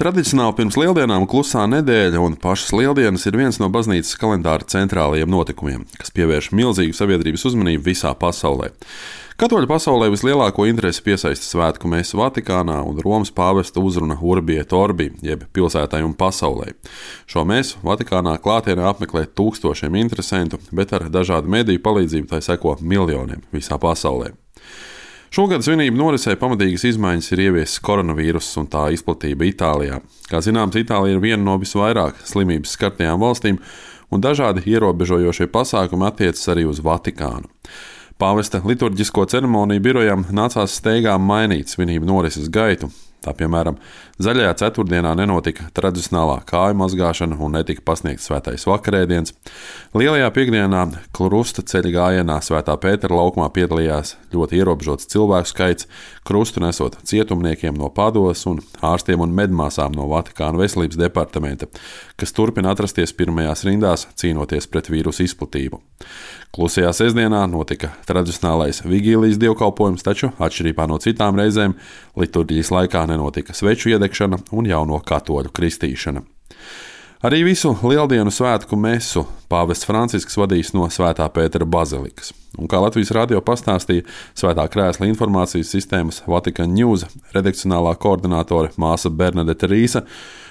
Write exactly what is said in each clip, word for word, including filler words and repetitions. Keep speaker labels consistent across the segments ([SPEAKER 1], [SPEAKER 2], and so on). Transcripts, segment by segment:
[SPEAKER 1] Tradicionāli pirms lieldienām klusā nedēļa un pašas lieldienas ir viens no baznīcas kalendāra centrālajiem notikumiem, kas pievērš milzīgu sabiedrības uzmanību visā pasaulē. Katoļu pasaulē vislielāko interesi piesaista svētku mese Vatikānā un Romas pāvesta uzruna Urbi et Orbi, jeb pilsētai un pasaulē. Šo mesu Vatikānā klātienē apmeklē tūkstošiem interesentu, bet ar dažādu mediju palīdzību tai seko miljoniem visā pasaulē. Šogad svinību norisē pamatīgas izmaiņas ir ieviesis koronavīruss un tā izplatība Itālijā. Kā zināms, Itālija ir viena no visvairāk slimības skartajām valstīm, un dažādi ierobežojošie pasākumi attiecas arī uz Vatikānu. Pāvesta liturģisko ceremoniju birojam nācās steigām mainīt svinību norises gaitu. Tā piemēram, zaļajā ceturtdienā nenotika tradicionālā kāju mazgāšana un netika pasniegts svētais vakarēdiens. Lielajā piekdienā krusta ceļa gājienā Svētā Pētera laukumā piedalījās ļoti ierobežots cilvēku skaits, krustu nesot cietumniekiem no Padoves un ārstiem un medmāsām no Vatikāna veselības departamenta, kas turpina atrasties pirmajās rindās, cīnoties pret vīrusu izplatību. Klusajā sestdienā notika tradicionālais vigīlijas dievkalpojums, taču atšķirībā no citām reizēm liturģijas laikā nenotika sveču iedegšana un jauno katoļu kristīšana. Arī visu lieldienu svētku mesu pāvests Francisks vadīs no Svētā Pētera bazilikas. Un kā Latvijas radio pastāstīja Svētā Krēsla informācijas sistēmas Vatican News redakcionālā koordinātore māsa Bernadete Rīsa,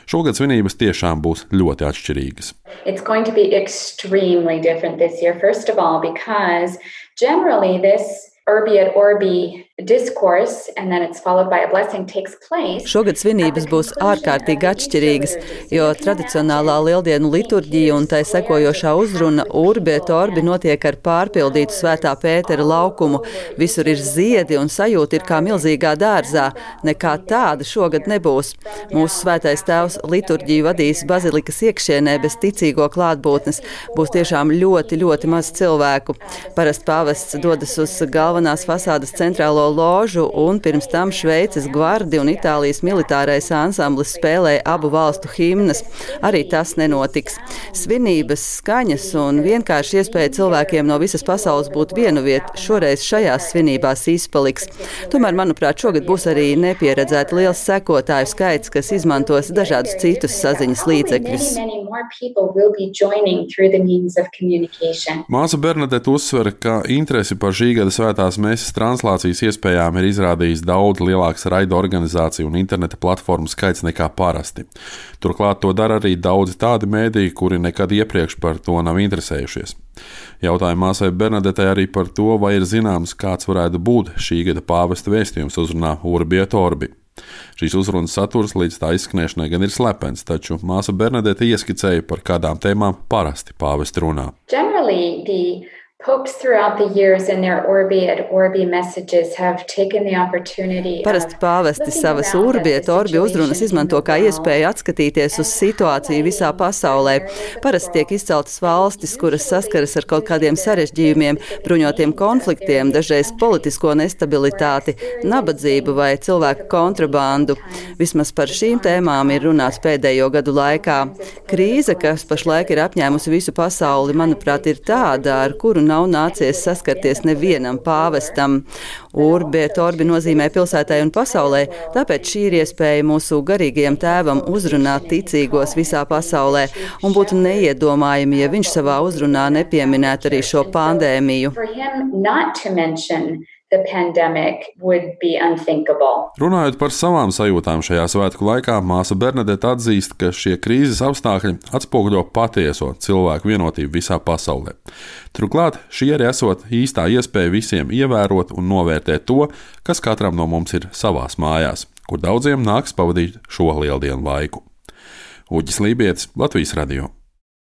[SPEAKER 1] šogad svinības tiešām būs ļoti atšķirīgas.
[SPEAKER 2] It's going to be extremely different this year, first of all, because generally this Urbi et Orbi discourse, and then it's followed by a blessing, takes place.
[SPEAKER 3] Šogad svinības būs ārkārtīgi atšķirīgas, jo tradicionālā lieldienu liturģija un tai sekojošā uzruna Urbi et Orbi notiek ar pārpildītu Svētā Pētera laukumu. Visur ir ziedi un sajūta ir kā milzīgā dārzā. Nekā tāda šogad nebūs. Mūsu svētais tēvs liturģiju vadīs bazilikas iekšienē bez ticīgo klātbūtnes. Būs tiešām ļoti, ļoti maz cilvēku. Parasti pāvests dodas uz galvenās fasādes centrālo ložu, un pirms tam Šveices gvardi un Itālijas militārais ansamblis spēlēja abu valstu himnas. Arī tas nenotiks. Svinības, skaņas un vienkārši iespēja cilvēkiem no visas pasaules būt vienu vietu šoreiz šajās svinībās izpaliks. Tomēr, manuprāt, šogad būs arī nepieredzēti liels sekotāju skaits, kas izmantos dažādus citus saziņas līdzekļus.
[SPEAKER 1] Māsa Bernadete uzsver, ka interesi par šī gada svētās meses translācijas iespējām ir izrādījis daudz lielāks raida organizāciju un interneta platformu skaits nekā parasti. Turklāt to dara arī daudzi tādi mēdīji, kuri nekad iepriekš par to nav interesējušies. Jautāju māsai Bernadetei arī par to, vai ir zināms, kāds varētu būt šī gada pāvesta vēstījums uzrunā Urbi et Orbi. Šīs uzrunas saturs līdz tā izskanēšanai gan ir slepens, taču māsa Bernadete ieskicēja, par kādām tēmām parasti pāvesti runā.
[SPEAKER 2] Generally, the popes throughout the years in their Urbi et Orbi messages have taken the opportunity.
[SPEAKER 3] Parasti pāvesti savas Urbi et Orbi uzrunas izmanto kā iespēju atskatīties uz situāciju visā pasaulē. Parasti tiek izceltas valstis, kuras saskaras ar kaut kādiem sarežģījumiem, bruņotiem konfliktiem, dažreiz politisko nestabilitāti, nabadzību vai cilvēku kontrabandu. Vismaz par šīm tēmām ir runāts pēdējo gadu laikā. Krīze, kas pašlaik ir apņēmusi visu pasauli, manuprāt, ir tāda, ar kuru nav nācies saskarties nevienam pāvestam. Urbi et Orbi nozīmē pilsētai un pasaulē, tāpēc šī ir iespēja mūsu garīgajam tēvam uzrunāt ticīgos visā pasaulē, un būtu neiedomājami, ja viņš savā uzrunā nepieminētu arī šo pandēmiju.
[SPEAKER 2] The pandemic would be unthinkable.
[SPEAKER 1] Runājot par savām sajūtām šajā svētku laikā, māsa Bernadete atzīst, ka šie krīzes apstākļi atspoguļo patieso cilvēku vienotību visā pasaulē. Turklāt šī arī esot īstā iespēja visiem ievērot un novērtēt to, kas katram no mums ir savās mājās, kur daudziem nāks pavadīt šo lieldienu laiku. Uģis Lībietis, Latvijas radio.